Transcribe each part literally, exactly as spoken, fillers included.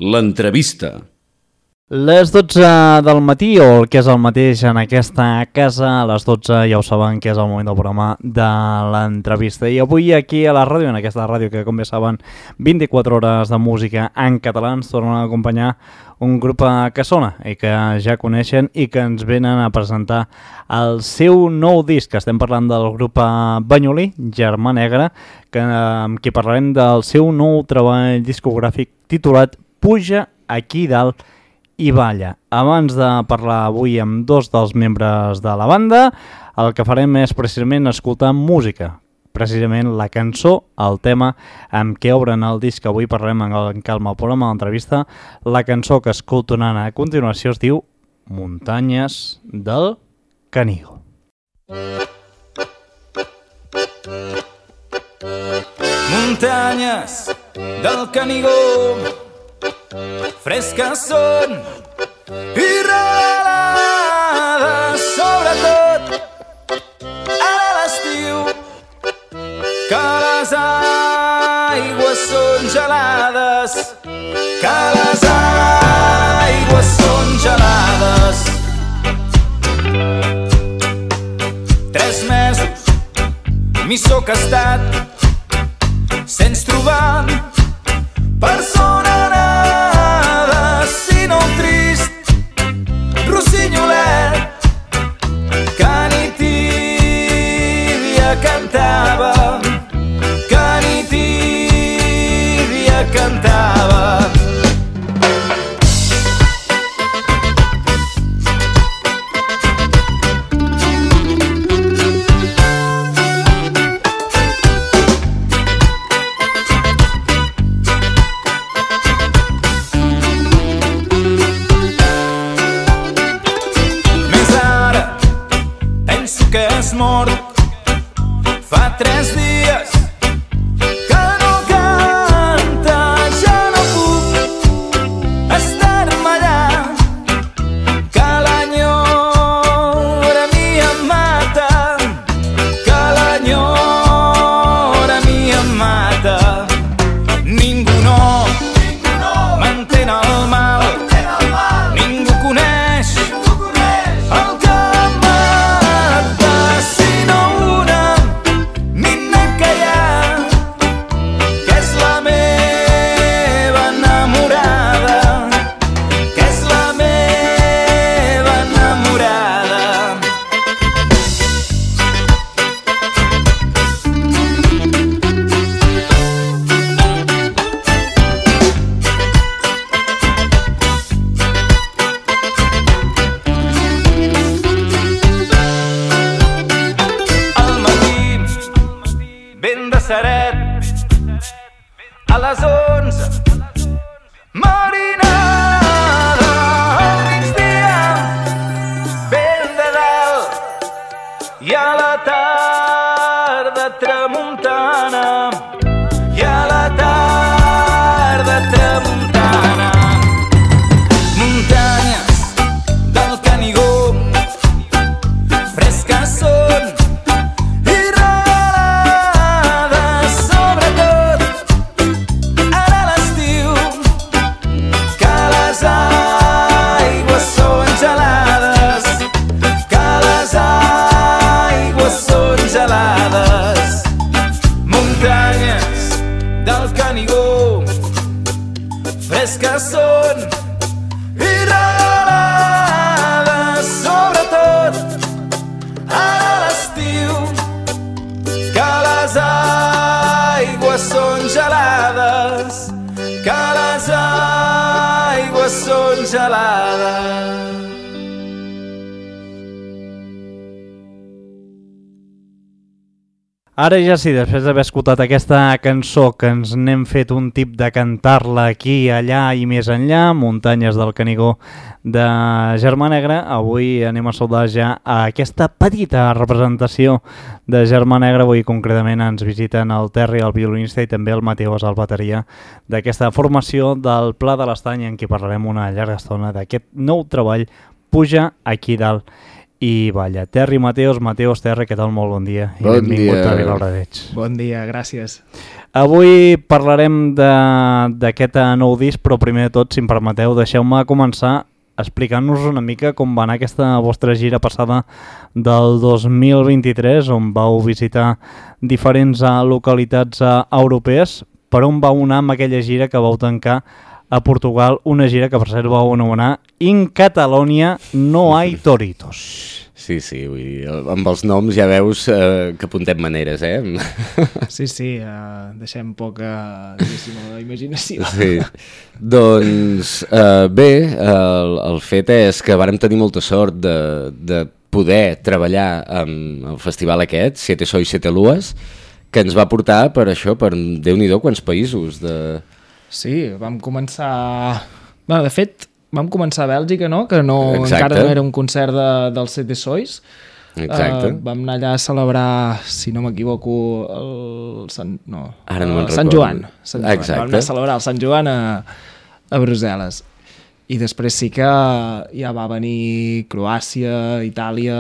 L'entrevista. Les dotze del matí, o el que és el mateix en aquesta casa, a les dotze ja ho saben que és el moment del programa de l'entrevista. I avui aquí a la ràdio, en aquesta ràdio que com bé saben, vint-i-quatre hores de música en català, ens tornen a acompanyar un grup que sona i que ja coneixen i que ens venen a presentar el seu nou disc. Estem parlant del grup banyolí, Germà Negra, que, amb qui parlarem del seu nou treball discogràfic titulat Puja aquí dalt i balla. Abans de parlar avui amb dos dels membres de la banda, el que farem és precisament escoltar música. Precisament la cançó, el tema amb què obren el disc que avui parlarem en calma al programa de l'entrevista. La cançó que escoltaran a continuació es diu Muntanyes del Canigó. Muntanyes del Canigó, fresques són i regalades, sobretot ara a l'estiu, que les aigües són gelades, que les aigües són gelades. Tres mesos m'hi soc estat sense trobar persona nada, sinó un trist rossinyolet que ni tibia cantava, que ni tibia cantava. Fa tres dies que no canta, ja no puc estar-me allà, que l'enyora a mi em mata, que l'enyora a mi em mata. Ningú no m'entén el mal, ningú coneix el que mata, sinó una a les onze, marinada, al migdia, vent de dalt, i a la tarda tramuntana, i a la tarda tramuntana. Muntanyes del Canigó, fresques són que són i regalades, sobretot a l'estiu, que les aigües són gelades, que les aigües són gelades. Ara ja sí, després d'haver escoltat aquesta cançó que ens n'hem fet un tip de cantar-la aquí, allà i més enllà, Muntanyes del Canigó de Germà Negra, avui anem a saludar ja a aquesta petita representació de Germà Negra. Avui concretament ens visiten el Terri, el violinista, i també el Mateus, el bateria d'aquesta formació del Pla de l'Estany, en què parlarem una llarga estona d'aquest nou treball, Puja aquí dalt i balla. Terri Mateos, Mateos Terri, què tal? Molt bon dia. Bon I benvingut dia. a Vilabradeig. Bon dia, gràcies. Avui parlarem d'aquest nou disc, però primer de tot, si em permeteu, deixeu-me començar explicant-nos una mica com va anar aquesta vostra gira passada del dos mil vint-i-tres, on vau visitar diferents uh, localitats uh, europees. Per on vau anar amb aquella gira que vau tancar a Portugal, una gira que per cert vau anomenar In Catalonia no hay toritos. Sí, sí, vull dir, amb els noms ja veus eh, que apuntem maneres, eh? Sí, sí, uh, deixem poca, diguéssim, a la imaginació. Sí, doncs eh, bé, el, el fet és que vàrem tenir molta sort de, de poder treballar amb el festival aquest, Siete Sois, Siete Luas, que ens va portar per això, per Déu-n'hi-do quants països. De... Sí, vam començar... Bueno, de fet, vam començar a Bèlgica, no? Que no, Exacte. encara no era un concert de, del Siete Sois. Exacte. Uh, vam anar allà a celebrar, si no m'equivoco, el Sant... No, Ara no me'n uh, Sant recordo. Joan. Sant Joan. Exacte. Vam anar a celebrar el Sant Joan a, a Brussel·les. I després sí que ja va venir Croàcia, Itàlia,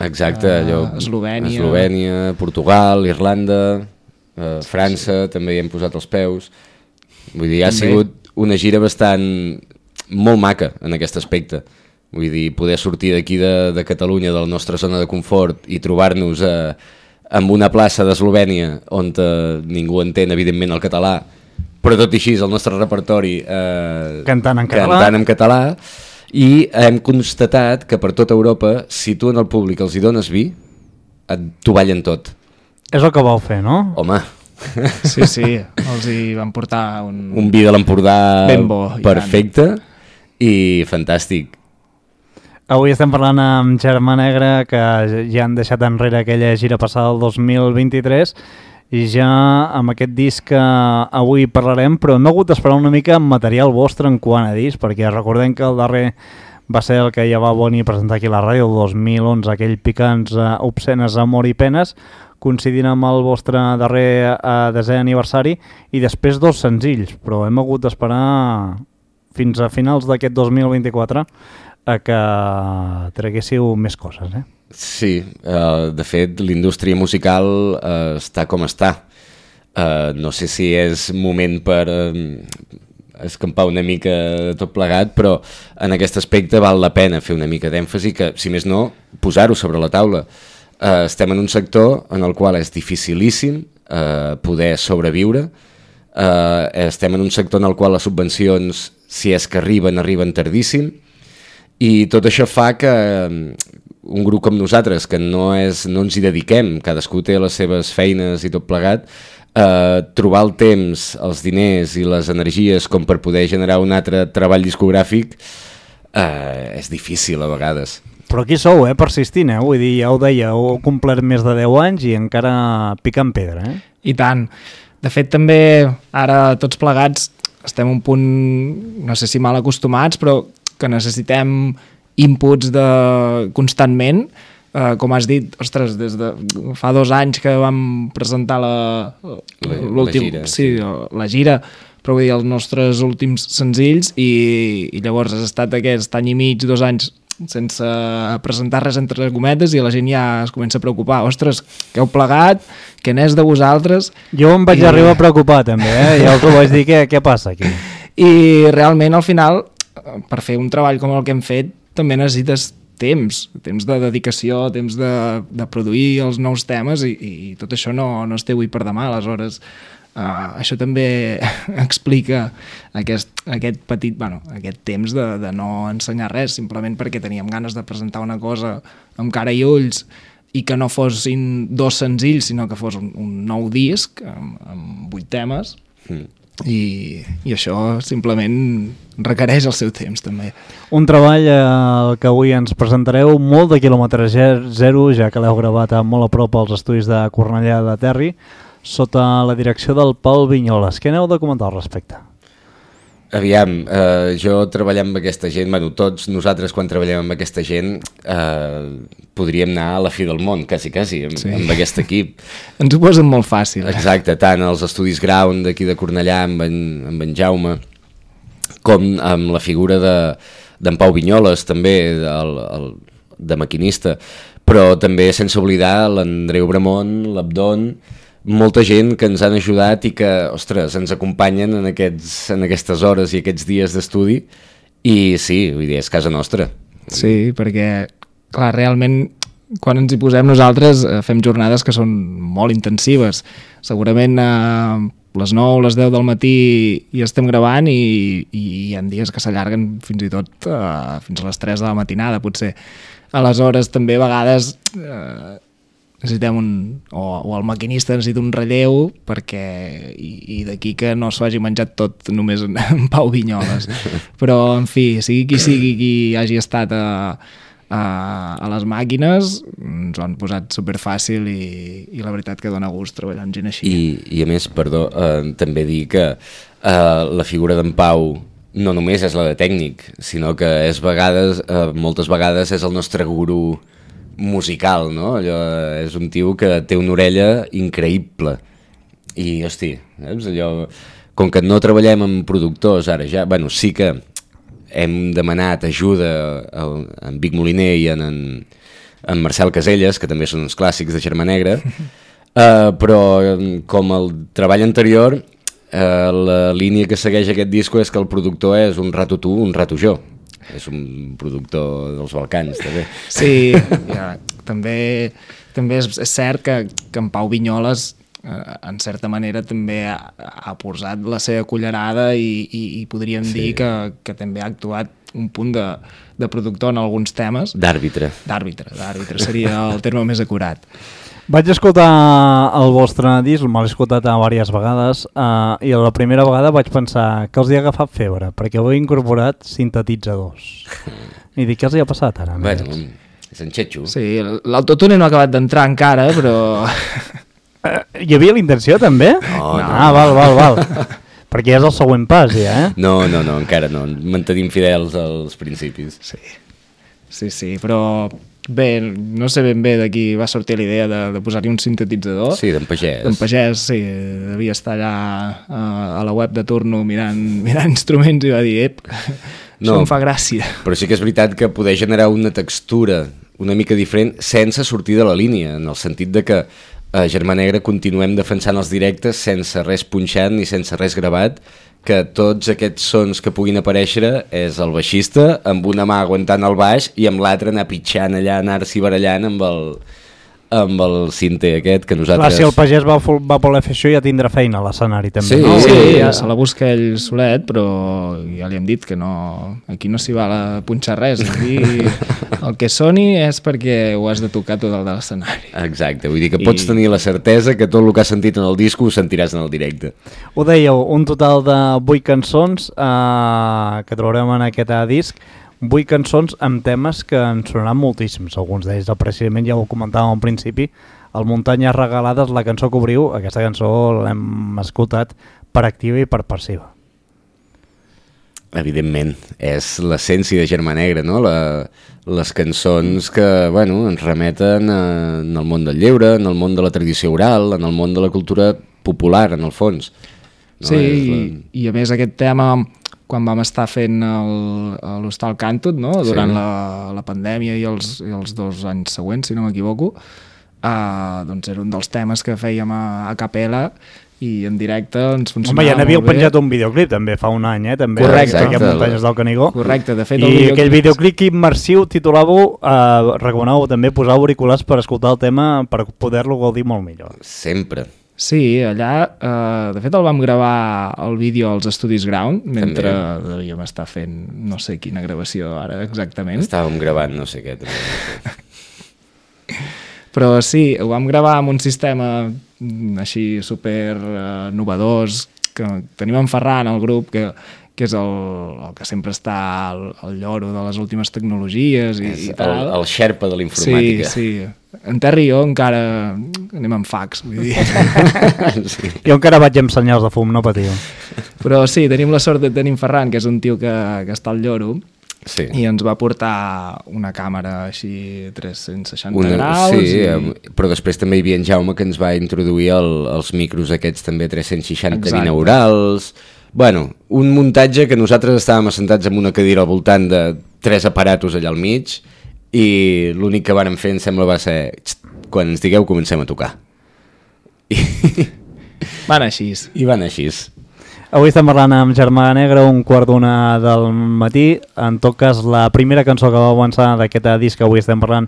Exacte, uh, allò, Eslovènia... Eslovènia, Portugal, Irlanda, eh, França, sí. També hi hem posat els peus. Vull dir, ha També. sigut una gira bastant molt maca en aquest aspecte. Vull dir, poder sortir d'aquí de, de Catalunya, de la nostra zona de confort, i trobar-nos eh, en una plaça d'Eslovènia on eh, ningú entén, evidentment, el català, però tot i així el nostre repertori eh, Cantant en català. cantant en català, i hem constatat que per tota Europa, si tu en el públic els hi dones vi, et, t'ho ballen tot. És el que vau fer, no? Home, Sí, sí, els hi van portar un... un vi de l'Empordà Ben bo, i perfecte i fantàstic. Avui estem parlant amb Germà Negre, que ja han deixat enrere aquella gira passada del dos mil vint-i-tres, i ja amb aquest disc que avui parlarem, però hem hagut d'esperar una mica amb material vostre en quant a disc, perquè recordem que el darrer va ser el que ja va venir a presentar aquí a la ràdio el dos mil onze, aquell Picants, uh, obscenes, amor i penes, coincidint amb el vostre darrer uh, desè aniversari, i després dos senzills, però hem hagut d'esperar fins a finals d'aquest dos mil vint-i-quatre a que traguéssiu més coses, eh? Sí, uh, de fet l'indústria musical uh, està com està. Uh, no sé si és moment per uh, escampar una mica tot plegat, però en aquest aspecte val la pena fer una mica d'èmfasi, que si més no, posar-ho sobre la taula. Uh, estem en un sector en el qual és dificilíssim uh, poder sobreviure. Uh, estem en un sector en el qual les subvencions, si és que arriben, arriben tardíssim, i tot això fa que un grup com nosaltres, que no, és, no ens hi dediquem, cadascú té les seves feines i tot plegat, eh, trobar el temps, els diners i les energies com per poder generar un altre treball discogràfic eh, és difícil a vegades. Però aquí sou, eh, persistint, eh? Vull dir, ja ho deia, heu complert més de deu anys i encara picant pedra, eh? I tant. De fet, també ara tots plegats estem un punt, no sé si mal acostumats, però que necessitem inputs de constantment, uh, com has dit, ostres, des de fa dos anys que vam presentar la, La- l'últim, la gira, sí, la gira, però vull dir, els nostres últims senzills, i, i llavors has estat aquest any i mig, dos anys sense presentar res entre gometes, i la gent ja es comença a preocupar, ostres, que heu plegat, que n'és de vosaltres. Jo em vaig I- arribar a preocupar també, eh? Ja us ho vaig dir, què, què passa aquí? I realment al final, per fer un treball com el que hem fet, també necessites temps, temps de dedicació, temps de, de produir els nous temes, i, i tot això no, no es té avui per demà. Aleshores, uh, això també explica aquest, aquest petit, bueno, aquest temps de, de no ensenyar res, simplement perquè teníem ganes de presentar una cosa amb cara i ulls, i que no fossin dos senzills, sinó que fos un, un nou disc amb, amb vuit temes. Mm. I, i això simplement requereix el seu temps també. Un treball eh, que avui ens presentareu molt de quilòmetre zero, ja que l'heu gravat a molt a prop als estudis de Cornellà de Terri, sota la direcció del Pol Vinyoles. Què n'heu de comentar al respecte? Aviam, eh, jo treballar amb aquesta gent, bueno, tots nosaltres quan treballem amb aquesta gent eh, podríem anar a la fi del món, quasi, quasi, amb, Sí. amb aquest equip. Ens ho posen molt fàcil. Eh? Exacte, tant als estudis Ground d'aquí de Cornellà amb en, amb en Jaume, com amb la figura de d'en Pau Vinyoles també, el, el, de maquinista, però també sense oblidar l'Andreu Bramont, l'Abdon, molta gent que ens han ajudat i que, ostres, ens acompanyen en, aquests, en aquestes hores i aquests dies d'estudi, i sí, vull dir, és casa nostra. Sí, perquè, clar, realment, quan ens hi posem nosaltres, eh, fem jornades que són molt intensives. Segurament a eh, les nou, les deu del matí hi estem gravant i, i hi ha dies que s'allarguen fins i tot eh, fins a les tres de la matinada, potser. Aleshores, també a vegades eh, necessitem un... O, o el maquinista necessita un relleu perquè... I, i d'aquí que no s'ho hagi menjat tot només en, en Pau Vinyoles. Però, en fi, sigui qui sigui qui hagi estat a, a, a les màquines, ens ho han posat superfàcil i, i la veritat que dona gust treballar amb gent així. I, i a més, perdó, eh, també dir que eh, la figura d'en Pau no només és la de tècnic, sinó que és vegades, eh, moltes vegades és el nostre gurú musical, no? Allò, és un tio que té una orella increïble i, hosti, saps? Allò, com que no treballem amb productors ara ja, bueno, sí que hem demanat ajuda a, a en Vic Moliner i en, en, en Marcel Caselles, que també són uns clàssics de Germà Negra, uh, però com el treball anterior, uh, la línia que segueix aquest disco és que el productor és un rato tu, un rato jo. És un productor dels Balcans, també. Sí, ja, també, també és, és cert que, que en Pau Vinyoles, eh, en certa manera, també ha, ha posat la seva cullerada i, i, i podríem sí. dir que, que també ha actuat un punt de, de productor en alguns temes. D'àrbitre. D'àrbitre, d'àrbitre seria el terme més acurat. Vaig escoltar el vostre disc, me l'he escoltat a diverses vegades, uh, i la primera vegada vaig pensar que els hi ha agafat febre, perquè heu incorporat sintetitzadors. I dic, què els hi ha passat ara? Bueno, és en Xetxo. Sí, l'autotune no ha acabat d'entrar encara, però... Uh, hi havia la intenció, també? No, no. Ah, val, val, val. Perquè ja és el següent pas, ja, eh? No, no, no, encara no. Mantenim fidels als principis. Sí, sí, sí, però... Bé, no sé ben bé de qui va sortir la idea de, de posar-hi un sintetitzador. Sí, d'en Pagès. D'en Pagès, sí, devia estar allà a, a la web de turno mirant, mirant instruments i va dir, ep, no, això em fa gràcia. Però sí que és veritat que poder generar una textura una mica diferent sense sortir de la línia, en el sentit de que a Germà Negra continuem defensant els directes sense res punxat ni sense res gravat, que tots aquests sons que puguin aparèixer és el baixista amb una mà aguantant el baix i amb l'altra anar pitjant allà, anar-s'hi barallant amb el, amb el cinte aquest que nosaltres... Clar, si el Pagès va, va voler fer això ja tindrà feina a l'escenari també. Sí, no? Sí, ja se la busca ell solet, però ja li hem dit que no, aquí no s'hi val a punxar res, aquí el que soni és perquè ho has de tocar tot el de l'escenari. Exacte, vull dir que pots I... tenir la certesa que tot el que has sentit en el disco ho sentiràs en el directe. Ho dèieu, un total de vuit cançons eh, que trobarem en aquest disc, vuit cançons amb temes que ens sonaran moltíssims, alguns d'ells precisament ja ho comentàvem al principi, el Muntanyes Regalades, la cançó que obriu, aquesta cançó l'hem escoltat per activa i per passiva. Evidentment, és l'essència de Germà Negra, no? La, les cançons que, bueno, ens remeten a, en el món del lleure, en el món de la tradició oral, en el món de la cultura popular, en el fons. No? Sí, la... i, i a més aquest tema, quan vam estar fent l'Hostal Càntut, no? Durant sí. la, la pandèmia i els, i els dos anys següents, si no m'equivoco, uh, doncs era un dels temes que fèiem a, a capella i en directe ens funcionava. Home, ja n'havíeu penjat un videoclip també fa un any, eh? També, correcte. Aquest Muntanyes del Canigó. Correcte, de fet... I videoclip... aquell videoclip immersiu titulàveu, eh, recomaneu també posar auriculars per escoltar el tema per poder-lo gaudir molt millor. Sempre. Sí, allà, eh, de fet el vam gravar el vídeo als Estudis Ground, mentre també devíem estar fent no sé quina gravació ara exactament. Estàvem gravant no sé què. També. Però sí, ho vam gravar amb un sistema així super eh, novedós, que tenim en Ferran, el grup, que, que és el, el que sempre està al, al lloro de les últimes tecnologies i, i tal. El, el xerpa de l'informàtica. Sí, sí. En Terri i jo encara anem amb fax, vull dir. Sí. Jo encara vaig amb senyals de fum, no patiu. Però sí, tenim la sort de tenir en Ferran, que és un tio que, que està al lloro, sí. I ens va portar una càmera així tres-cents seixanta una, graus. Sí, i... però després també hi havia en Jaume que ens va introduir el, els micros aquests també tres-cents seixanta Exacte. binaurals. Bueno, un muntatge que nosaltres estàvem assentats en una cadira al voltant de tres aparatos allà al mig i l'únic que vàrem fer, em sembla, va ser quan ens digueu comencem a tocar. I, Van així. i van així. Avui estem parlant amb Germà Negra, un quart d'una del matí. En tot cas, la primera cançó que va avançar d'aquest disc que avui estem parlant,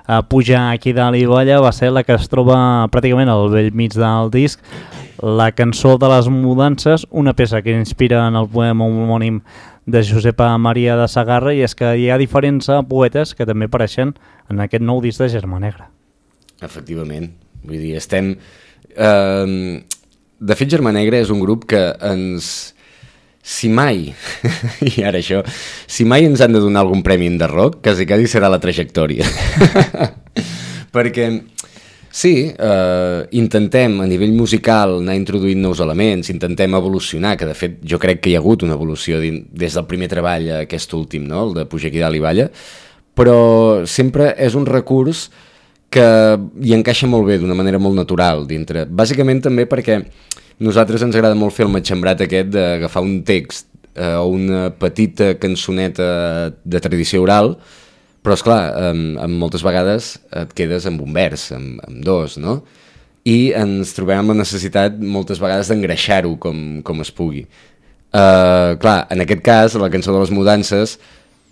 a pujar aquí dalt i balla, va ser la que es troba pràcticament al vell mig del disc, la cançó de les mudances, una peça que inspira en el poema homònim de Josepa Maria de Sagarra, i és que hi ha diferents poetes que també apareixen en aquest nou disc de Germà Negra. Efectivament. Vull dir, estem... Eh, de fet, Germà Negra és un grup que ens... Si mai, i ara això, si mai ens han de donar algun premi de rock, quasi quasi serà la trajectòria. Perquè, sí, eh, intentem a nivell musical anar introduint nous elements, intentem evolucionar, que de fet jo crec que hi ha hagut una evolució des del primer treball a aquest últim, no? El de Pujar aquí dalt i balla, però sempre és un recurs que hi encaixa molt bé, d'una manera molt natural dintre. Bàsicament també perquè nosaltres ens agrada molt fer el matxembrat aquest d'agafar un text eh, o una petita cançoneta de tradició oral, però esclar, eh, moltes vegades et quedes amb un vers, amb, amb dos, no? I ens trobem amb la necessitat moltes vegades d'engreixar-ho com, com es pugui. Eh, clar, en aquest cas, la cançó de les mudances,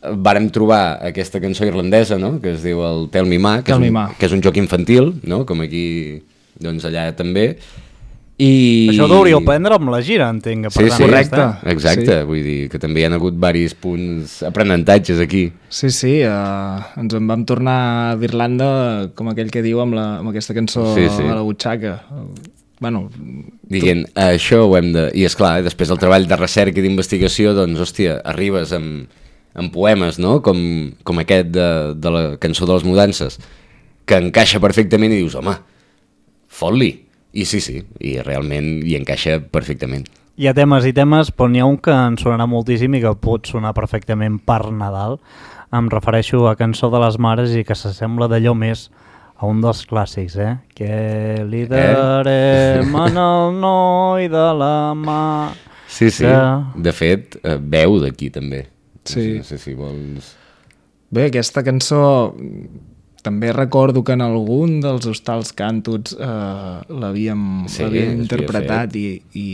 vàrem trobar aquesta cançó irlandesa, no?, que es diu el Tell Me Ma, que, Tell és Me un, Ma. que és un joc infantil, no?, com aquí, doncs allà també. I... Això hauríeu prendre amb la gira, entenc. Sí, sí, correcte. exacte, Sí. vull dir que també hi ha hagut diversos punts, aprenentatges aquí. Sí, sí, uh, ens en vam tornar d'Irlanda, com aquell que diu, amb, la, amb aquesta cançó Sí, sí. a la butxaca. Bueno, Dient, això ho hem de... I esclar, després del treball de recerca i d'investigació, doncs, hòstia, arribes amb, amb poemes, no?, com, com aquest de, de la cançó de les mudances, que encaixa perfectament i dius, home, fot-li. I sí, sí, i realment hi encaixa perfectament. Hi ha temes i temes, però n'hi ha un que ens sonarà moltíssim i que pot sonar perfectament per Nadal. Em refereixo a Cançó de les Mares i que s'assembla d'allò més a un dels clàssics, eh? Que li darem eh? en el noi de la mà... Sí, sí, que... de fet, eh, veu d'aquí també. Sí. No sé si vols... bé, aquesta cançó també recordo que en algun dels hostals càntots eh, l'havíem Sí, l'havíem s'havia interpretat i, i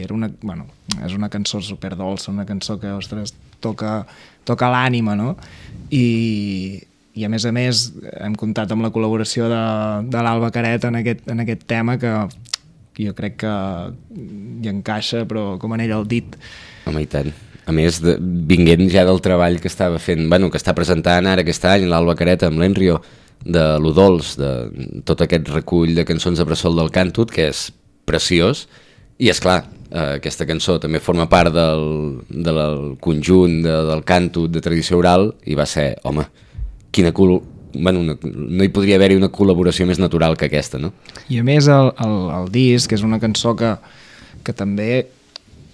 era una, bueno, és una cançó superdolça, una cançó que, ostres, toca, toca l'ànima, no? I, i a més a més hem comptat amb la col·laboració de, de l'Alba Caret en aquest, en aquest tema que jo crec que hi encaixa, però com anell al dit. Home, i tant. A més, de, vinguent ja del treball que estava fent, bueno, que està presentant ara aquest any l'Alba Careta amb l'Enrio, de l'Udols, de tot aquest recull de cançons de bressol del Càntut, que és preciós, i és clar, eh, aquesta cançó també forma part del, del conjunt de, del Càntut de tradició oral, i va ser, home, quina cul... Bueno, una, no hi podria haver-hi una col·laboració més natural que aquesta, no? I a més el, el, el disc és una cançó que, que també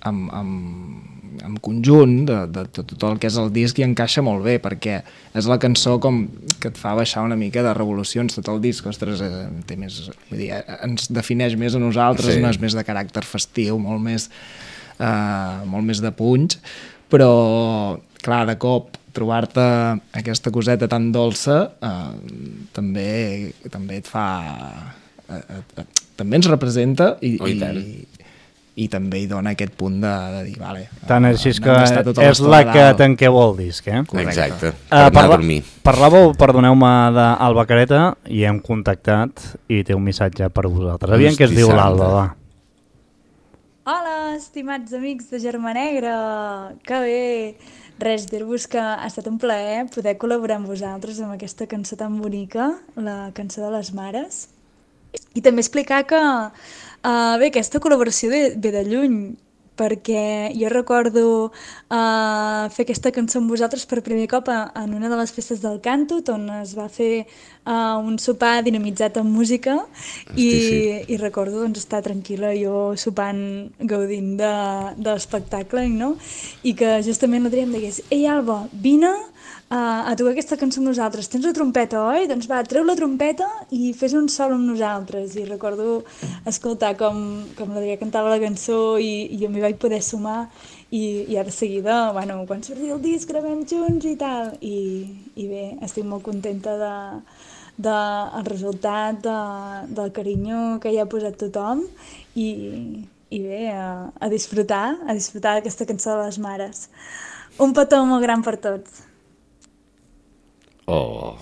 amb, amb, amb conjunt de, de, de tot el que és el disc hi encaixa molt bé, perquè és la cançó com que et fa baixar una mica de revolucions. Tot el disc, ostres, eh, té més, vull dir, ens defineix més a nosaltres, Sí. no és més de caràcter festiu, molt més, eh, molt més de punys, però clar, de cop trobar-te aquesta coseta tan dolça eh, també, també et fa eh, eh, també ens representa i, Oh, i i, tant. i, i també hi dona aquest punt de, de dir, vale, Tant eh, així és hem que d'estar tota és l'estona la a que dalt. tanqueu el disc, eh? Correcte. Exacte, per Uh, anar a parla dormir. parlàveu, perdoneu-me, d'Alba Careta i hem contactat i té un missatge per vosaltres. Aviam què es Hosti diu santa. l'Alba, va. Hola, estimats amics de Germà Negra, que bé! Res, dir-vos que ha estat un plaer poder col·laborar amb vosaltres amb aquesta cançó tan bonica, la cançó de les mares. I també explicar que uh, bé, aquesta col·laboració ve, ve de lluny, perquè jo recordo uh, fer aquesta cançó amb vosaltres per primer cop a, en una de les festes del Càntut, on es va fer uh, un sopar dinamitzat amb música i, sí. i recordo doncs, estar tranquil·la jo sopant, gaudint de, de l'espectacle, no? I que justament l'Adrià em digués: «Ei, Alba, vine uh, a tocar aquesta cançó amb nosaltres, tens la trompeta, oi? Doncs va, treu la trompeta i fes un sol amb nosaltres». I recordo escoltar com, com l'Adrià cantava la cançó i, i jo m'hi vaig poder sumar i, i ara de seguida, bueno, quan surti el disc gravem junts i tal, i, i bé, estic molt contenta de, de el resultat, de, del carinyo que hi ha posat tothom, i, i bé, a, a disfrutar, a disfrutar d'aquesta cançó de les mares. Un petó molt gran per tots. Oh...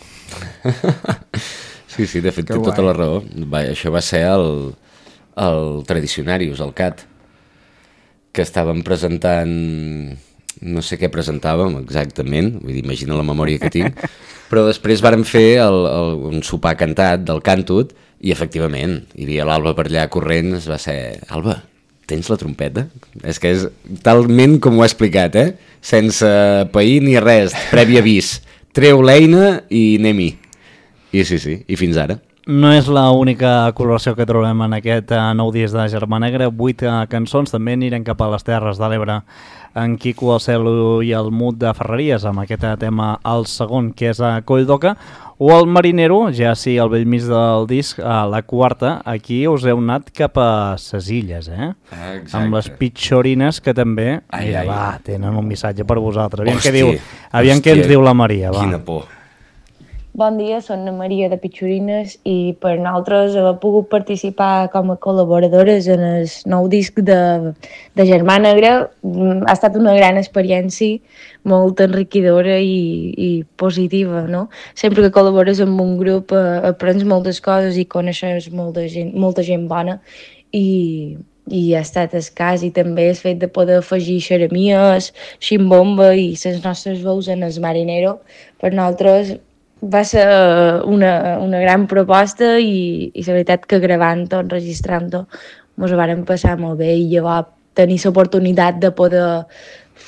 Sí, sí, de fet, Que té tota guai. la raó. Va, això va ser el, el Tradicionarius, el C A T, que estàvem presentant... No sé què presentàvem exactament, vull dir, imagina la memòria que tinc, però després vàrem fer el, el, un sopar cantat del Cantut i, efectivament, hi havia l'Alba per allà corrent, es va ser... Alba, tens la trompeta? És que és talment com ho he explicat, eh? Sense pair ni res, previ avís. Treu l'eina i anem-hi. I sí, sí, i fins ara. No és l'única col·laboració que trobem en aquest uh, nou disc de Germà Negra. Vuit uh, cançons, també anirem cap a les Terres de l'Ebre en Quico, el Cel i el Mut de Ferreries, amb aquest tema, el segon, que és a Colldoca, o el Marinero, ja sí, al bell mig del disc, a la quarta. Aquí us heu anat cap a ses Illes, eh? Ah, exacte. Amb les Pitxorines, que també, Ai, mira, ai. va, tenen un missatge per vosaltres. Aviam Hòstia, què diu, aviam què ens hòstia, diu la Maria, va. Quina por. Bon dia, soc na Maria de Pitxorines i per nosaltres he pogut participar com a col·laboradores en el nou disc de, de Germà Negra. Ha estat una gran experiència, molt enriquidora i, i positiva, no? Sempre que col·labores amb un grup eh, aprens moltes coses i coneixes molta gent, molta gent bona i, i ha estat escàs, i també el fet de poder afegir xeremies, ximbomba i les nostres veus en el Marinero, per nosaltres va ser una, una gran proposta i, i la veritat que gravant-ho, enregistrant-ho, ens ho vàrem passar molt bé, i llavors tenir l'oportunitat de poder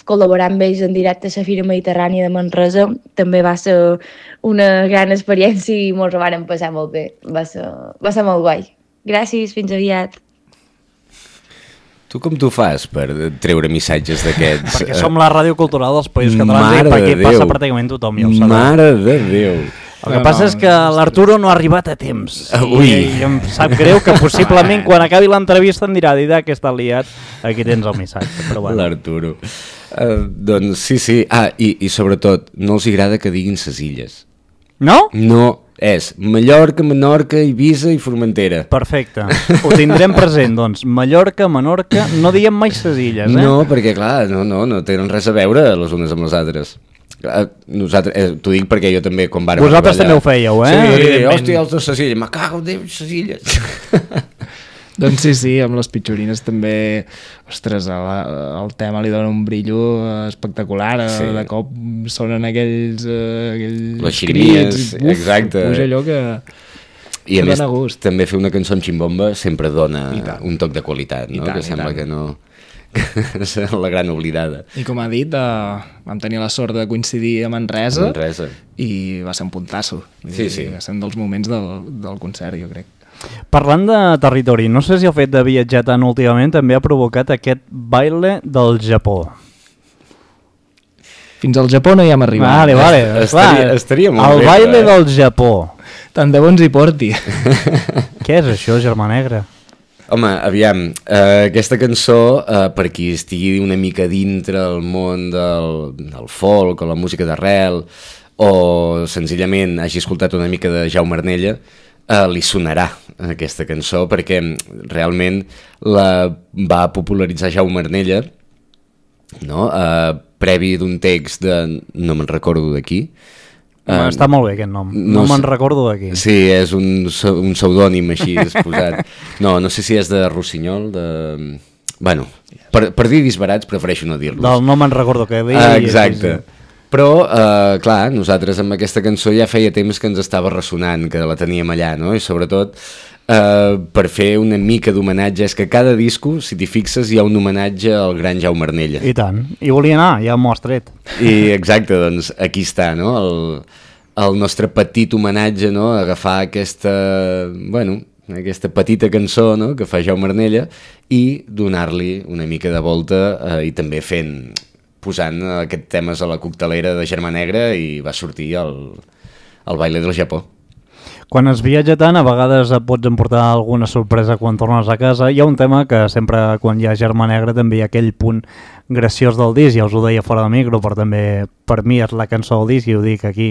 col·laborar amb ells en directe a la Fira Mediterrània de Manresa també va ser una gran experiència i ens ho vàrem passar molt bé. Va ser, va ser molt guai. Gràcies, fins aviat. Tu com t'ho fas per treure missatges d'aquests? Perquè som la ràdio cultural dels Països Catalans Mare i per aquí de passa Déu. pràcticament tothom, ja ho sabeu. Mare de Déu. El que passa és que l'Arturo no ha arribat a temps. Ui. I, I em sap greu que possiblement quan acabi l'entrevista em dirà Dida que està liat, aquí tens el missatge. Però bueno. L'Arturo. Uh, doncs sí, sí. Ah, i, i sobretot, no els agrada que diguin ses illes. No? No, és Mallorca, Menorca, Eivissa i Formentera. Perfecte. Ho tindrem present, doncs. Mallorca, Menorca, no diem mai ses illes, eh? No, perquè clar, no, no, no tenen res a veure les unes amb les altres. Clar, nosaltres, eh, t'ho dic perquè jo també, quan vàrem Vosaltres arribar allà- també ho fèieu, eh? Sí, Evidentment. hòstia, els de ses illes, me cago en Déu, ses illes. Doncs sí, sí, amb les Pitxorines també, ostres, el, el tema li dona un brillo espectacular, Sí. sí. De cop sonen aquells, uh, aquells Les xirimies, crits, i, uf, exacte. Puja allò que... I a Que més, dona gust. també fer una cançó amb ximbomba sempre dona I tant. un toc de qualitat, I no? tant, Que i sembla tant. que no... que és la gran oblidada. I com ha dit, uh, vam tenir la sort de coincidir a Manresa, Manresa. i va ser un puntasso. Sí, I, sí. Va ser un dels moments del, del concert, jo crec. Parlant de territori, no sé si el fet de viatjar tant últimament també ha provocat aquest baile del Japó. Fins al Japó no hi hem arribat. Vale, vale. Estaria- clar, estaria molt el bé, baile eh? del Japó. Tant de bons hi porti. Què és això, Germà Negra? Home, aviam, eh, aquesta cançó, eh, per qui estigui una mica dintre el món del, del folk o la música d'arrel, o senzillament hagi escoltat una mica de Jaume Arnella, eh, li sonarà aquesta cançó, perquè realment la va popularitzar Jaume Arnella, no? eh, previ d'un text de... no me'n recordo de qui. Uh, Està molt bé aquest nom, no, no me'n sé- recordo d'aquí. Sí, és un, pse- un pseudònim així posat. No, no sé si és de Rossinyol, de... Bueno, per, per dir disbarats prefereixo no dir-los. Del no me'n recordo què deia. Ah, i- exacte. Però, eh, clar, nosaltres amb aquesta cançó ja feia temps que ens estava ressonant, que la teníem allà, no? I sobretot eh, per fer una mica d'homenatge, és que a cada disco, si t'hi fixes, hi ha un homenatge al gran Jaume Arnella. I tant. I volia anar, ja m'ho has tret. I exacte, doncs aquí està, no? El, el nostre petit homenatge, no? Agafar aquesta, bueno, aquesta petita cançó, no? Que fa Jaume Arnella i donar-li una mica de volta eh, i també fent, posant aquests temes a la coctelera de Germà Negra, i va sortir el, el baile del Japó. Quan es viatja tant, a vegades et pots emportar alguna sorpresa quan tornes a casa. Hi ha un tema que sempre, quan hi ha Germà Negra, també hi ha aquell punt graciós del disc, ja us ho deia fora de micro, però també per mi és la cançó del disc i ho dic aquí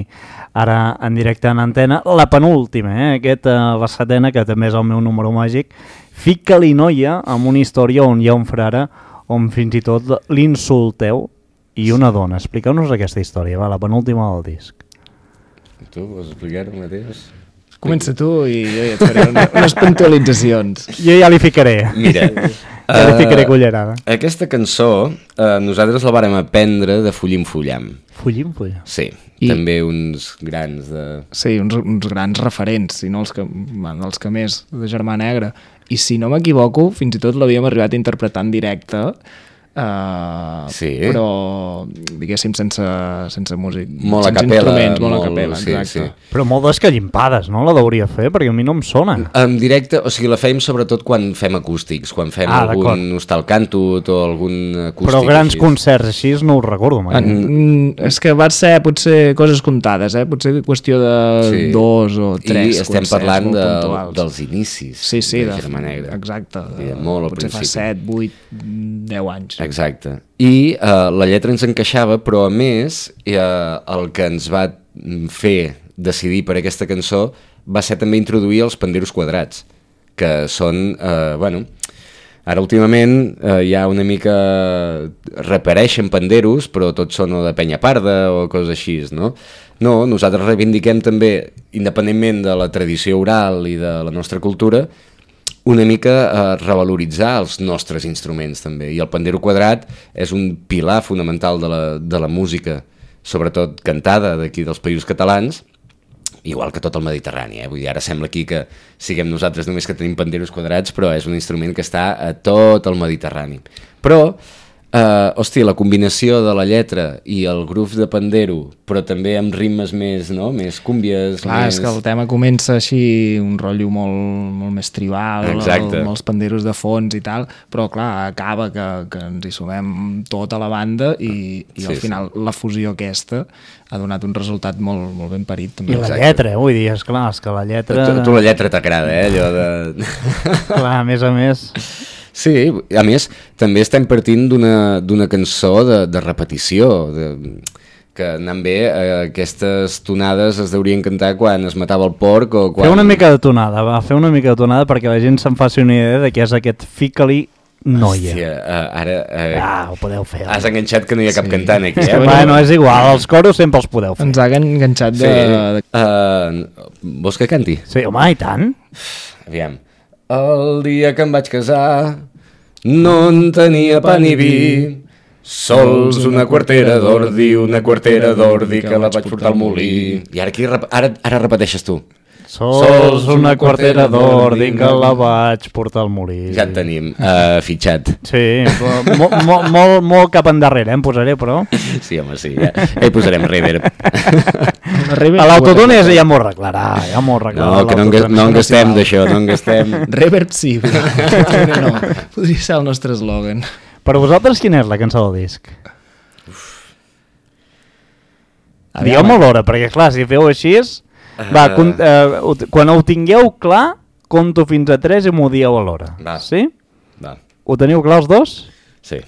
ara en directe en antena. La penúltima, eh? Aquesta, la setena, que també és el meu número màgic, Fica-li noia, amb una història on hi ha un frare on fins i tot l'insulteu i una dona. Expliqueu-nos aquesta història, va, la penúltima del disc. Tu vols explicar-ho mateix? Comença tu i jo ja et faré una, unes puntualitzacions. Jo ja li ficaré. Mira, ja li ficaré cullerada. Uh, aquesta cançó uh, nosaltres la vàrem aprendre de Fullim Fullam. Fullim Fullam? Sí, I... també uns grans de... Sí, uns, uns grans referents, si no els que, bueno, els que més, de Germà Negra. I si no m'equivoco, fins i tot l'havíem arribat a interpretar en directe, Uh, sí. però diguéssim sense, sense músic, molt sense a capella, instruments, molt, molt a capella, sí, exacte. sí. Però molt descallimpades, no? La hauria fer, perquè a mi no em sona. En directe, o sigui, la fèiem sobretot quan fem acústics, quan fem ah, algun hostal cantut o algun acústic. Però grans així. concerts així no ho recordo mai. En, és que va ser potser coses comptades, eh? Potser qüestió de sí. dos o tres I estem concerts parlant molt de, puntuals. dels inicis sí, sí, de de Germà Negra. Exacte. I de molt al potser principi. fa set, vuit, deu anys. Exacte. I uh, la lletra ens encaixava, però a més uh, el que ens va fer decidir per aquesta cançó va ser també introduir els panderos quadrats, que són, uh, bueno, ara últimament uh, hi ha una mica... reapareixen panderos, però tots són o de penya parda o coses així, no? No, nosaltres reivindiquem també, independentment de la tradició oral i de la nostra cultura, una mica a revaloritzar els nostres instruments també, i el pandero quadrat és un pilar fonamental de la, de la música, sobretot cantada d'aquí dels Països Catalans, igual que tot el Mediterrani, eh? Vull dir, ara sembla aquí que siguem nosaltres només que tenim panderos quadrats, però és un instrument que està a tot el Mediterrani. Però, Uh, hòstia, la combinació de la lletra i el groove de pandero, però també amb ritmes més, no? Més cúmbies. Clar, més... és que el tema comença així, un rotllo molt, molt més tribal, el, amb els panderos de fons i tal, però clar, acaba que, que ens hi sumem tota la banda i, i sí, al final sí. La fusió aquesta ha donat un resultat molt, molt ben parit. També. I la lletra, eh? Vull dir, esclar, és que la lletra... Tu, tu la lletra t'agrada, eh? Allò de... Clar, a més a més... Sí, a més, també estem partint d'una cançó de, de repetició, de, que anant bé, eh, aquestes tonades es deurien cantar quan es matava el porc o quan... Fer una mica de tonada, va, fer una mica de tonada perquè la gent se'n faci una idea de què és aquest Fica-li noia. Hòstia, uh, ara... Uh, ah, ho podeu fer. Has enganxat que no hi ha cap sí. cantant aquí, eh? Bueno, és igual, els coros sempre els podeu fer. Ens ha enganxat de... Sí. Uh, vols que canti? Sí, home, i tant. Aviam. El dia que em vaig casar no en tenia pa ni vi, sols una quartera d'ordi, una quartera d'ordi que la vaig portar al molí. I ara, aquí, ara, ara repeteixes tu. Sols una quartera d'ordi que la vaig portar al molí. Ja et tenim uh, fitxat. Sí, molt, molt, molt, molt cap endarrere, eh, em posaré, però... Sí, home, sí, ja, ja hi posarem reverb. A l'autotune ja m'ho arreglarà, ja m'ho arreglarà. No, que no, en, no en gastem d'això, no en gastem... Reverb sí, però no, podria ser el nostre eslògan. Per vosaltres, quina és la cançó del disc? Digueu-me l'hora, perquè clar, si feu així... Va, con, eh, quan ho tingueu clar, conto fins a tres i m'ho dieu a l'hora. Va. Sí? Va. Ho teniu clar els dos? Sí.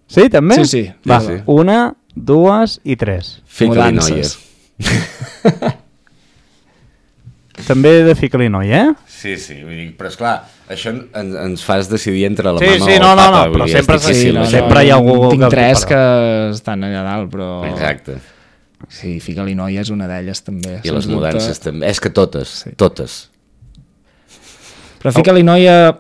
Sí, també? Sí, sí. Va, sí, sí. Una, dues i tres. Fica-li noia. També de fica-li noia, eh? Sí, sí, vull dir, però esclar, això en, ens fas decidir entre la sí, mama sí, o el no, papa. No, no, però sempre, sí, no, no, sempre no, hi ha algú... Tinc que tres que estan allà dalt, però... Exacte. Sí, fica-li noia és una d'elles també. I les mudances dubte... també. És que totes, sí. totes. Però fica-li noia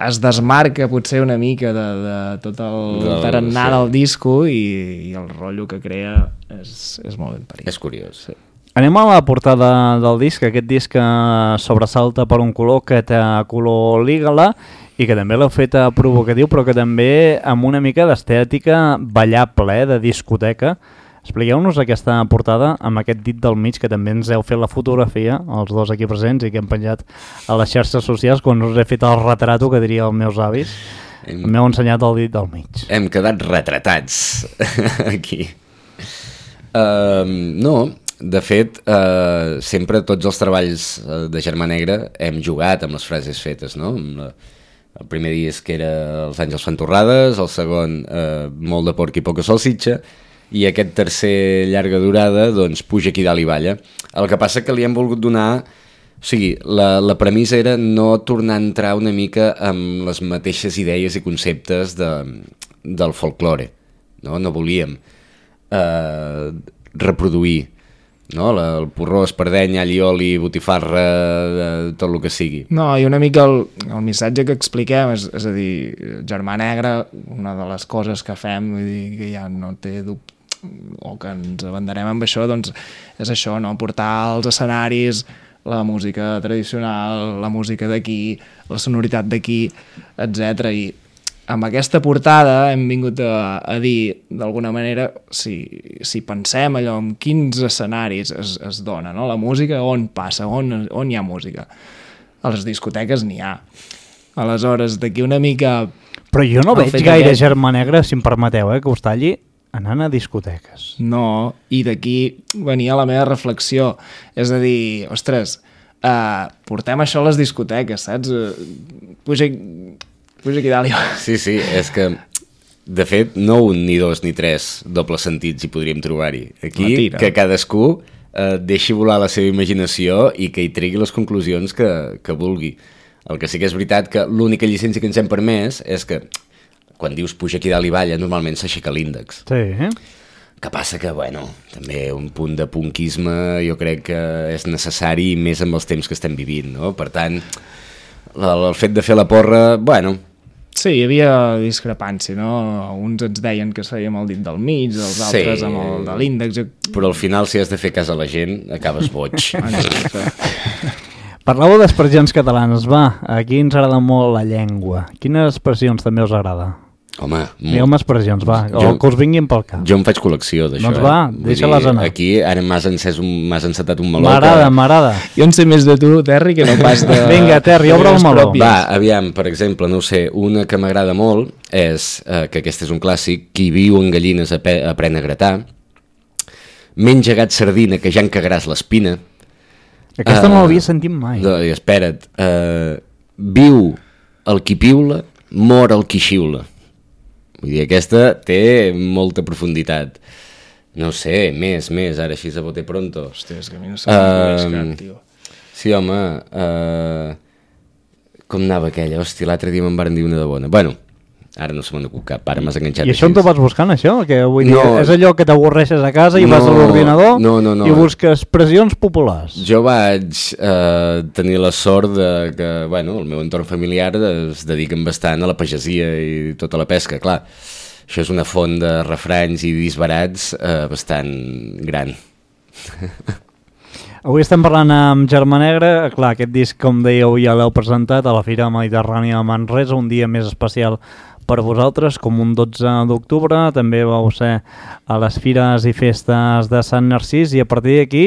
es desmarca potser una mica de, de tot el del, tarannà sí. del disco i, i el rotllo que crea és, és molt ben parit. És curiós. Sí. Anem a la portada del disc, aquest disc que sobresalta per un color que té color lígala i que també l'heu fet provocatiu, però que també amb una mica d'estètica ballable, de discoteca. Expliqueu-nos aquesta portada amb aquest dit del mig, que també ens heu fet la fotografia, els dos aquí presents, i que hem penjat a les xarxes socials quan us he fet el retrato, que diria els meus avis. Hem... M'heu ensenyat el dit del mig. Hem quedat retratats aquí. Uh, no, de fet, eh, sempre tots els treballs de Germà Negre hem jugat amb les frases fetes, no? Amb la, el primer disc era Els àngels fan torrades, el segon eh, Molt de porc i poca salsitxa, i aquest tercer llarga durada, doncs, Puja aquí dalt i balla. El que passa que li hem volgut donar... O sigui, la, la premissa era no tornar a entrar una mica amb les mateixes idees i conceptes de, del folklore, no? No volíem eh, reproduir, no? La, el porró, espardeny, all i oli, botifarra, eh, tot el que sigui. No, i una mica el, el missatge que expliquem, és, és a dir, Germà Negre, una de les coses que fem, vull dir, que ja no té dubte, o que ens abanderem amb això, doncs és això, no? Portar als escenaris la música tradicional, la música d'aquí, la sonoritat d'aquí, etcètera. I amb aquesta portada hem vingut a, a dir, d'alguna manera, si, si pensem allò, en quins escenaris es, es dona, no? La música, on passa, on, on hi ha música? A les discoteques n'hi ha. Aleshores, d'aquí una mica... Però jo no el veig fet gaire aquest- Germà Negre, si em permeteu, eh, que us talli, anant a discoteques. No, i d'aquí venia la meva reflexió. És a dir, ostres, uh, portem això a les discoteques, saps? Uh, puja, puja aquí dalt. i- Sí, sí, és que, de fet, no un, ni dos, ni tres dobles sentits hi podríem trobar-hi. Aquí, La tira. que cadascú eh, deixi volar la seva imaginació i que hi tregui les conclusions que, que vulgui. El que sí que és veritat que l'única llicència que ens hem permès és que, quan dius puja aquí dalt i balla, normalment s'aixeca l'índex. Sí, eh? Que passa que, bueno, també un punt de punkisme jo crec que és necessari més amb els temps que estem vivint, no? Per tant, el, el fet de fer la porra, bueno... Sí, hi havia discrepància, no? Uns ens deien que fèiem el dit del mig, els Sí. altres amb el de l'índex. Però al final, si has de fer cas a la gent, acabes boig. Parlàveu d'expressions catalanes, va, aquí ens agrada molt la llengua. Quines expressions també us agrada? Home, Digueu-me expressions, va, o Jo- que us vinguin pel cap. jo en faig col·lecció d'això. Doncs va, eh? Vull deixa-les dir, anar. Aquí ara m'has encès un, m'has encetat un meló. M'agrada, que... m'agrada. Jo en sé més de tu, Terri, que no pas de... Vinga, Terri, obre el de meló. pròpies. Va, aviam, per exemple, no ho sé, una que m'agrada molt és, eh, que aquest és un clàssic, qui viu en gallines ape- aprèn a gratar, menja gat sardina que ja en cagaràs l'espina. Aquesta Ah, no l'havia sentit mai. No, i espera't, uh, viu el qui piula, mor el qui xiula. Vull dir, aquesta té molta profunditat. No sé, més, més, ara així a bote pronto. Hòstia, és que a mi no se'm uh, Um, cap, tio. Sí, home, uh, com anava aquella? Hòstia, l'altre dia me'n van dir una de bona. Bueno, ara no se me'n acut cap, ara m'has enganxat. I això on així. te vas buscant, això? Que vull dir, No. és allò que t'avorreixes a casa i vas a No, l'ordinador no, no, no. i busques expressions populars. Jo vaig eh, tenir la sort de que, bueno, el meu entorn familiar es dediquen bastant a la pagesia i tota la pesca, clar. Això és una font de refranys i disbarats eh, bastant gran. Avui estem parlant amb Germà Negre. Clar, aquest disc, com dèieu, ja l'heu presentat a la Fira Mediterrània de Manresa, un dia més especial per vosaltres, com un dotze d'octubre. També vau ser a les Fires i Festes de Sant Narcís i a partir d'aquí,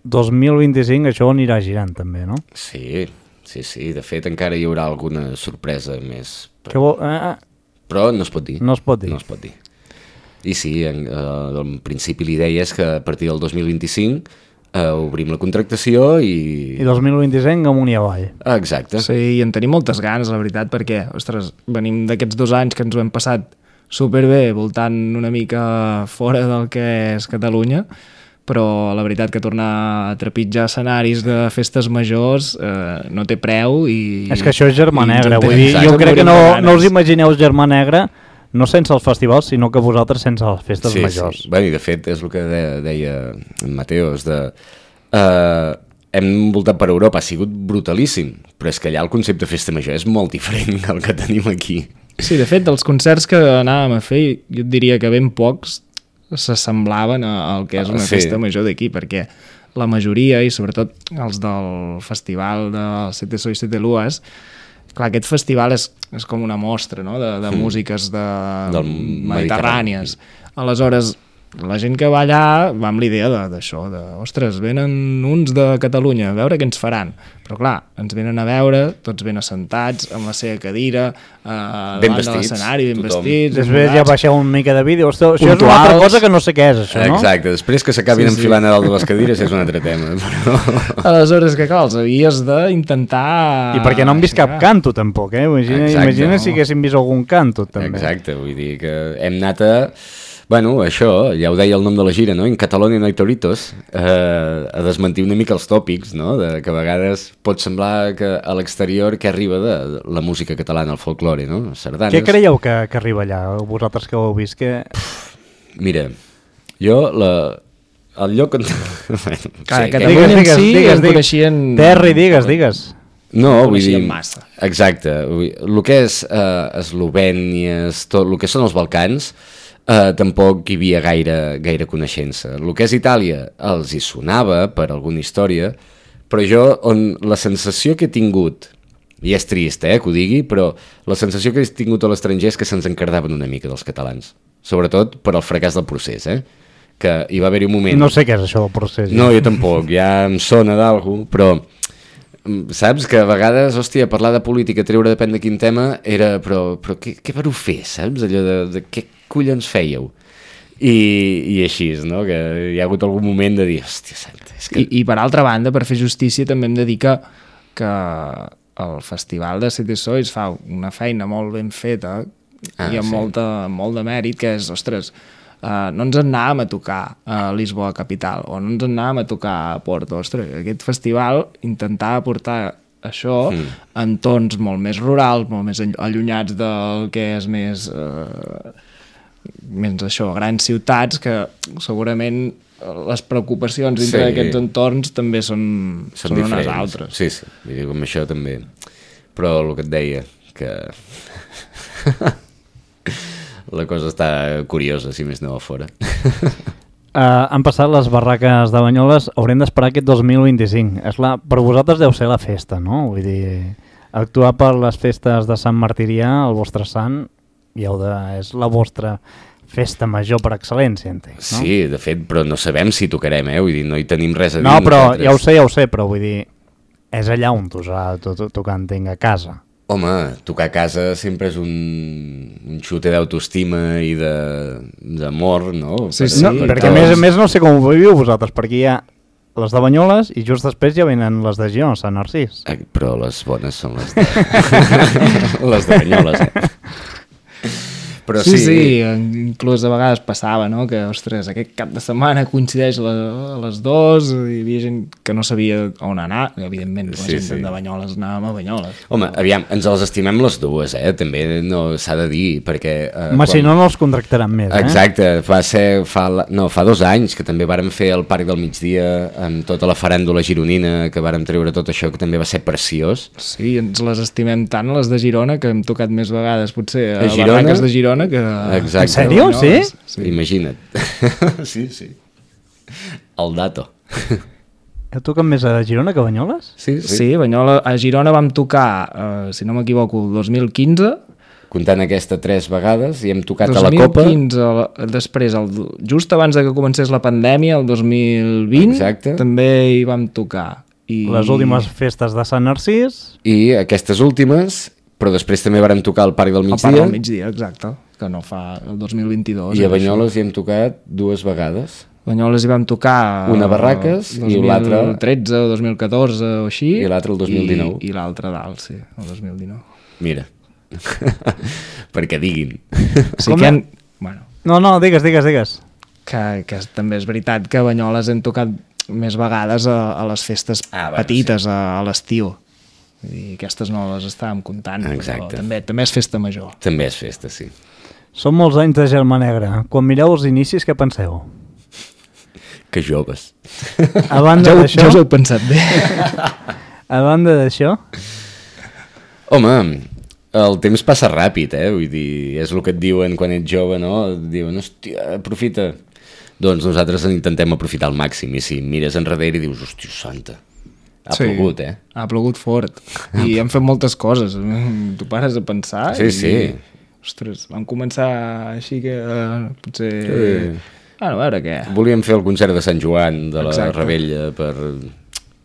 dos mil vint-i-cinc, això anirà girant també, no? Sí, sí, sí. De fet, encara hi haurà alguna sorpresa més. Que vol... eh, Però no es pot dir. no es pot dir. No es pot dir. I sí, en, eh, en principi l'idea és que a partir del dos mil vint-i-cinc eh, obrim la contractació i... I dos mil vint-i-cinc amunt i avall. Ah, exacte. Sí, i en tenim moltes ganes, la veritat, perquè, ostres, venim d'aquests dos anys que ens ho hem passat superbé, voltant una mica fora del que és Catalunya, però la veritat que tornar a trepitjar escenaris de festes majors eh, no té preu i... És que això és Germà i ens Negre, en vull tenim dir, ganes, jo crec que morim no, de no us ganes. imagineu Germà Negre no sense els festivals, sinó que vosaltres sense les festes sí, majors. Sí. Bueno, i de fet és el que de, deia en Mateos, de, uh, hem voltat per Europa, ha sigut brutalíssim, però és que allà el concepte de festa major és molt diferent del que tenim aquí. Sí, de fet, dels concerts que anàvem a fer, jo et diria que ben pocs s'assemblaven al que és una Sí. festa major d'aquí, perquè la majoria, i sobretot els del festival de Sete Sois Sete Luas, clar, aquest festival és, és com una mostra, no?, de, de músiques de Del mediterrànies. Aleshores, la gent que va allà va amb l'idea d'això, de, ostres, venen uns de Catalunya a veure què ens faran, però clar, ens venen a veure, tots ben assentats, amb la seva cadira, eh, davant de l'escenari, ben tothom. vestits, Després ja baixeu una mica de vídeo. Això és una Puntuals. altra cosa que no sé què és, això, no? Exacte, després que s'acabin Sí, sí. enfilant a dalt de les cadires és un altre tema. Però... Aleshores, que clar, els havies d'intentar... I perquè no han vist cap canto, tampoc, eh? Imagina, Exacte, imagina no. si haguéssim vist algun canto, també. Exacte, vull dir que hem anat a... Bueno, això, ja ho deia el nom de la gira, no? En Catalunya no hi toritos, eh, a desmentir una mica els tòpics, no? De que a vegades pot semblar que a l'exterior que arriba de la música catalana, el folklore, no? Sardanes. Què creieu que, que arriba allà, vosaltres que ho heu vist? Que... Mira, jo la... el lloc on... bueno, Clar, sí, Catalunya Digues, en si digues, en digues. coneixien... Terri, digues, digues. No, vull dir... coneixien massa. Exacte. Vull... El que és eh, Eslovènia, tot el que són els Balcans, eh, tampoc hi havia gaire, gaire coneixença. El que és Itàlia els hi sonava per alguna història, però jo, on la sensació que he tingut, i és trist eh, que ho digui, però la sensació que he tingut a l'estranger és que se'ns encardaven una mica dels catalans, sobretot per al fracàs del procés, eh? Que hi va haver-hi un moment... No sé què és això del procés. No, jo tampoc, ja em sona d'algú, però saps que a vegades, hòstia, parlar de política, treure depèn de quin tema, era, però, però què, què vareu fer, saps? Allò de, de què collons fèieu? I, i així, no? Que hi ha hagut algun moment de dir, hòstia, santa, és que... I, I per altra banda, per fer justícia, també hem de dir que, que el Festival de City Sois fa una feina molt ben feta Ah, i amb sí. molta, molt de mèrit, que és, ostres, uh, no ens en anàvem a tocar a Lisboa capital, o no ens en anàvem a tocar a Porto. Ostres, aquest festival intentava portar això mm. en tons molt més rurals, molt més allunyats del que és més... Uh, més això, grans ciutats, que segurament les preocupacions dintre Sí. d'aquests entorns també són, són, són unes diferents. altres. Sí, sí, vull dir, com això també. Però el que et deia, que... la cosa està curiosa, si més no a fora. Uh, han passat les barraques de Banyoles, haurem d'esperar aquest dos mil vint-i-cinc. És la, per vosaltres deu ser la festa, no? Vull dir, actuar per les festes de Sant Martirià, el vostre sant, i heu de, és la vostra festa major per excel·lència, entenc, no? Sí, de fet, però no sabem si tocarem, eh? Vull dir, no hi tenim res a dir. No, però nosaltres. ja ho sé, ja ho sé, però vull dir, és allà on tu has de tocar, entenc, a casa. Home, tocar a casa sempre és un, un xute d'autoestima i d'amor, no? Sí, Per- sí. No, per perquè a tots. més a més no sé com ho viviu vosaltres, perquè hi ha les de Banyoles i just després ja venen les de Girona, Sant Narcís. Eh, Però les bones són les de, les de Banyoles, eh? Però Sí, sí, sí, inclús a vegades passava, no?, que, ostres, aquest cap de setmana coincideix la, les dos, i hi havia gent que no sabia on anar, evidentment, la Sí, gent sí. de Banyoles anàvem a Banyoles. Home, aviam, ens les estimem les dues, eh? També no s'ha de dir, perquè... Eh, Home, si no, no els contractaran més, eh? Exacte, va ser, fa, la- no, fa dos anys que també vàrem fer el Parc del Migdia amb tota la faràndula gironina, que vàrem treure tot això, que també va ser preciós. Sí, ens les estimem tant, les de Girona, que hem tocat més vegades, potser, a, A Girona? barraques de Girona, que... Exacte. En sèrio? Sí? Sí. Imagina't. sí, sí. El dato. Heu tocat més a Girona que a Banyoles? Sí, Sí, Banyola, a Girona vam tocar, eh, si no m'equivoco, el dos mil quinze, Comptant aquesta tres vegades i hem tocat a la Copa. dos mil quinze, la- després, el, just abans de que comencés la pandèmia, el dos mil vint, Exacte. també hi vam tocar. I... Les últimes festes de Sant Narcís... I aquestes últimes, però després també vàrem tocar al Parc del al Migdia. Parc del Migdia, exacte, que no fa el dos mil vint-i-dos. I a era Banyoles hi hem tocat dues vegades. això. Banyoles hi vam tocar... Una a Barraques i l'altra- dos mil tretze o dos mil catorze o així. I l'altra el dos mil dinou. I, i l'altra dalt, sí, el dos mil dinou. Mira. Perquè diguin. Sí Com que... a- Han... Bueno, No, no, digues, digues, digues. que, que també és veritat que a Banyoles hem tocat més vegades a, a les festes Ah, bueno, petites, a, a l'estiu. I aquestes no les estàvem comptant, Exacte. però també, també és festa major. També és festa, sí. Són molts anys de Germà Negra. Quan mireu els inicis, què penseu? Que joves. A banda Ja, ho, d'això... ja us heu pensat bé. A banda d'això... Home, el temps passa ràpid, eh? Vull dir, és el que et diuen quan ets jove, no? Et diuen, hòstia, aprofita. Doncs nosaltres en intentem aprofitar al màxim. I si mires enrere i dius, hòstia santa, ha Sí, plogut, eh? Ha plogut fort. I hem fet moltes coses. Tu pares a pensar Sí, i... sí. Ostres, vam començar així que eh, potser... Sí. Bueno, a veure què. Volíem fer el concert de Sant Joan de la Exacte. Rebella per...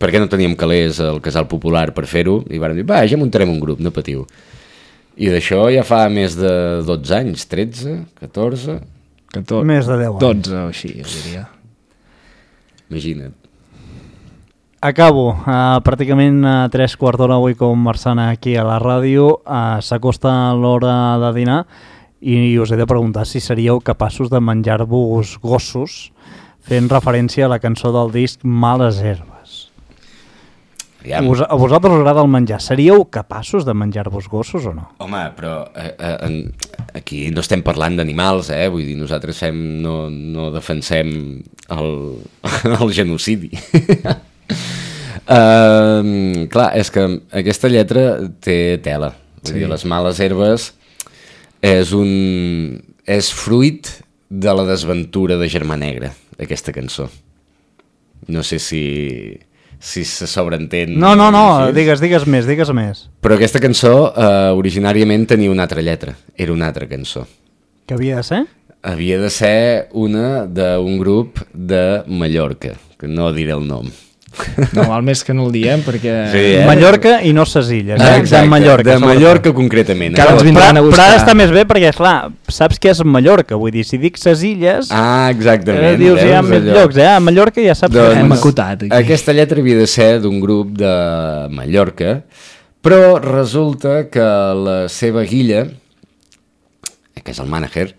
perquè no teníem calés al Casal Popular per fer-ho i vam dir, va, ja muntarem un grup, no patiu. I d'això ja fa més de dotze anys, tretze, catorze... catorze, Més de deu anys. dotze o així, jo diria. Imagina't. Acabo. Uh, pràcticament a tres quarts d'hora avui conversant aquí a la ràdio. Uh, S'acosta l'hora de dinar i us he de preguntar si seríeu capaços de menjar-vos gossos fent referència a la cançó del disc Males Herbes. Ja. Us, a vosaltres us agrada el menjar. Seríeu capaços de menjar-vos gossos o no? Home, però eh, eh, en, aquí no estem parlant d'animals, eh? Vull dir, nosaltres fem, no, no defensem el, el genocidi. uh, clar, és que aquesta lletra té tela. Vull Sí. dir, les males herbes és un... és fruit de la desventura de Germà Negre, aquesta cançó. No sé si... si se sobreentén... No, no, no, així. digues, digues més, digues més. Però aquesta cançó eh, originàriament tenia una altra lletra, era una altra cançó. Què havia de ser? Havia de ser una d'un grup de Mallorca, que no diré el nom. No, val més que no el diem perquè... Sí, eh? Mallorca i no ses illes. Eh? Exacte, de Mallorca. de sobretot. Mallorca concretament. Cada eh? ens Però, vindran a però buscar. ara està més bé perquè, esclar, saps què és Mallorca? Vull dir, si dic ses illes, Ah, exactament. eh, dius, hi ha veus més allò? llocs, eh? A Mallorca ja saps Doncs, que Hem acotat, aquí. Aquesta lletra havia de ser d'un grup de Mallorca, però resulta que la seva guilla, que és el mànager,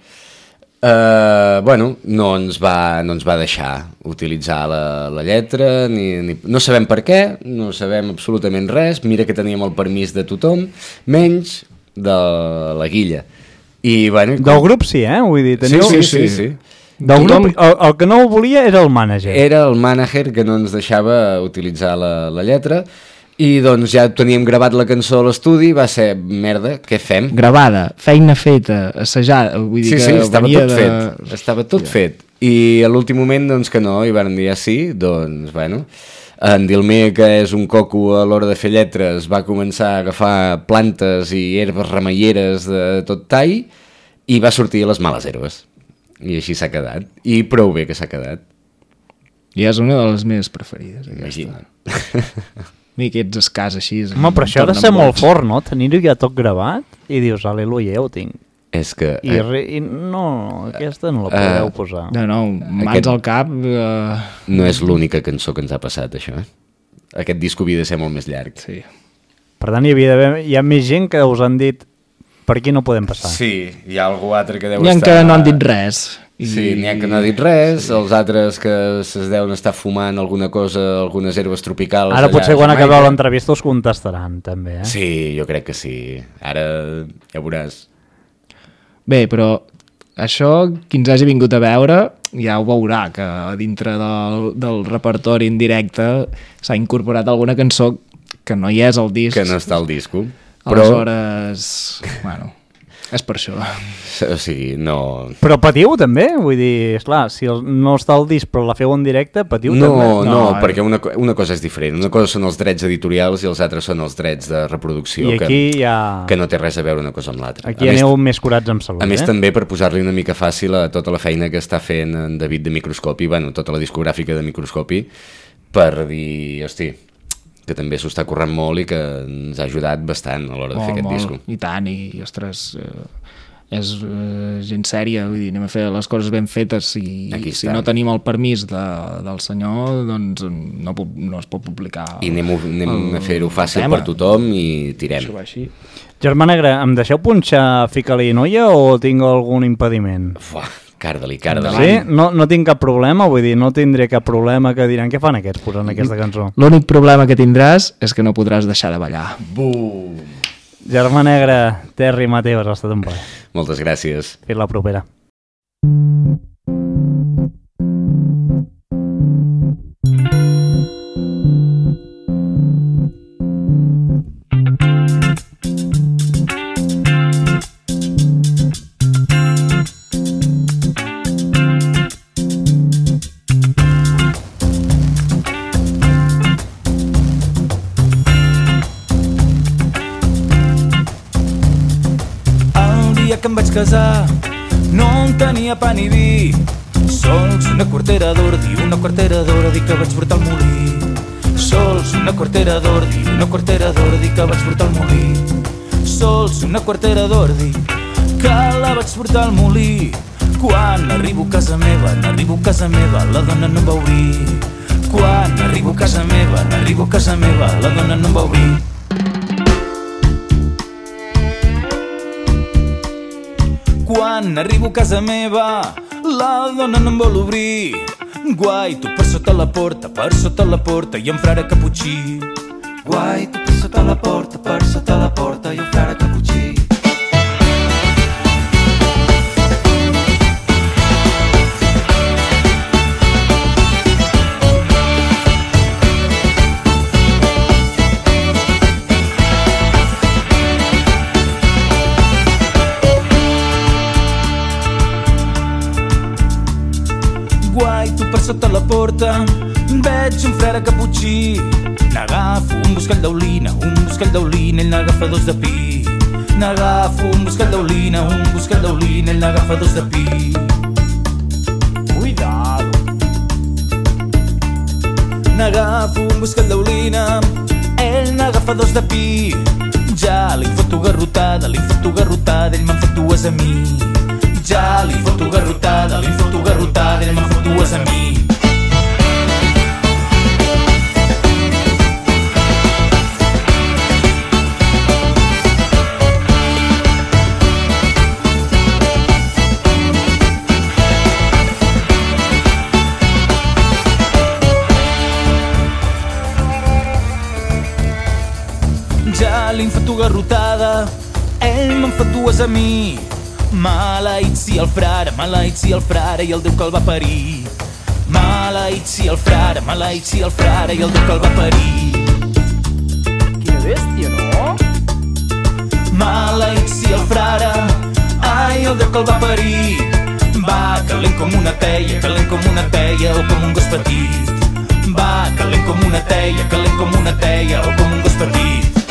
eh, bueno, no ens, va, no ens va deixar utilitzar la, la lletra, ni, ni, no sabem per què, no sabem absolutament res, mira que teníem el permís de tothom, menys de la guilla. I, bueno, Del grup sí, eh? Vull dir, Sí, teniu... sí, sí, sí. Del Tothom- grup, el, el que no ho volia era el mànager. Era el mànager que no ens deixava utilitzar la, la lletra i doncs ja teníem gravat la cançó a l'estudi, va ser, merda, què fem? Gravada, feina feta, assajada, vull dir Sí, que sí, estava venia tot de... fet, estava tot fet. I a l'últim moment, doncs que no, i van dir ah, sí, doncs, bueno, en Dilmer, que és un coco a l'hora de fer lletres, va començar a agafar plantes i herbes remeieres de tot tall i va sortir a les males herbes. I així s'ha quedat. I prou bé que s'ha quedat. I és una de les meves preferides, aquesta. Imagina't. A mi aquests escars així... Home, però això ha de tornen ser molt boig. fort, no? Tenir-ho ja tot gravat i dius, aleluia, ja ho tinc. És que... I, Eh, re, i no, aquesta no la podeu Eh, posar. No, no, mans Aquest- al cap... Uh... no és l'única cançó que ens ha passat, això. Eh? Aquest disc havia de ser molt més llarg. Sí. Per tant, hi, havia d'haver, hi ha més gent que us han dit per aquí no podem passar. Sí, hi ha algú altre que deu N'hi ha estar... que no han dit res. I... Sí, n'hi ha que no ha dit res, sí. Els altres que es deuen estar fumant alguna cosa, algunes herbes tropicals... Ara allà potser a quan Jamaica. acabeu l'entrevista us contestaran, també, eh? Sí, jo crec que sí. Ara ja veuràs. Bé, però això, qui ens hagi vingut a veure, ja ho veurà, que a dintre del, del repertori en directe s'ha incorporat alguna cançó que no hi és al disc. Que no està al disco. Però, Aleshores, bueno, és per això. o sigui, no... Però patiu també? Vull dir, esclar, si el, no està al disc però la feu en directe, patiu No, també? no, No, no eh. perquè una, co- una cosa és diferent. Una cosa són els drets editorials i els altres són els drets de reproducció, I aquí que, ja... que no té res a veure una cosa amb l'altra. Aquí A més, aneu més curats amb salut, A més, eh? també per posar-li una mica fàcil a tota la feina que està fent en David de Microscopi, bueno, tota la discogràfica de Microscopi, per dir, hosti, que també s'ho està currant molt i que ens ha ajudat bastant a l'hora de fer aquest disco. I tant, i, i ostres, eh, és eh, gent sèria, vull dir, anem a fer les coses ben fetes i Aquí si està. no tenim el permís de, del senyor, doncs no, pu- no es pot publicar. I anem, anem el- a fer-ho fàcil tema. per tothom i tirem. Això va així. Germà Negre, em deixeu punxar Fica-li noia o tinc algun impediment? Fuà, carda-li, carda-li. Sí? No, no tinc cap problema, vull dir, no tindré cap problema que diran què fan aquests posant aquesta cançó. L'únic problema que tindràs és que no podràs deixar de ballar. Bum! Germà Negre, Terri Mateus, ha estat un plaer. Moltes gràcies. Fins la propera. El dia que em vaig casar no en tenia pa ni vi. Sols una quartera d'ordi, una quartera d'ordi que vaig portar al molí. Sols una quartera d'ordi, una quartera d'ordi que vaig portar al molí. Sols una quartera d'ordi que la vaig portar al molí. Quan arribo a casa meva, n'arribo a casa meva, la dona no em va obrir. Quan arribo a casa meva, n'arribo a casa meva, la dona no em va obrir. Quan arribo a casa meva, la dona no em vol obrir. Guai, tu per sota la porta, per sota la porta i un frare caputxí. Guai, tu per sota la porta, per sota la porta i un frare caputxí. Guai, tu per sota la porta veig un frare caputxí. N'agafo un buscall d'olina, un buscall d'olina, ell n'agafa dos de pi. N'agafo un buscall d'olina, un buscall d'olina, ell n'agafa dos de pi. Cuidado. N'agafo un buscall d'olina, ell n'agafa dos de pi. Ja li foto garrotada, li foto garrotada, ell me'n fot dues a mi. Ja li foto garrotada, li foto garrotada, ell me'n fot dues a mi. Ja li foto garrotada, ell me'n fot dues a mi. Maleït si el frare, maleït si el frare i el Déu que el va parir. Maleït si el frare, maleït si el frare i el Déu que el va parir. Quina bèstia, no? Maleït si el frare, ai, el Déu que el va parir. Va calent com una teia, calent com una teia o com un gos petit. Va calent com una teia, calent com una teia o com un gos petit.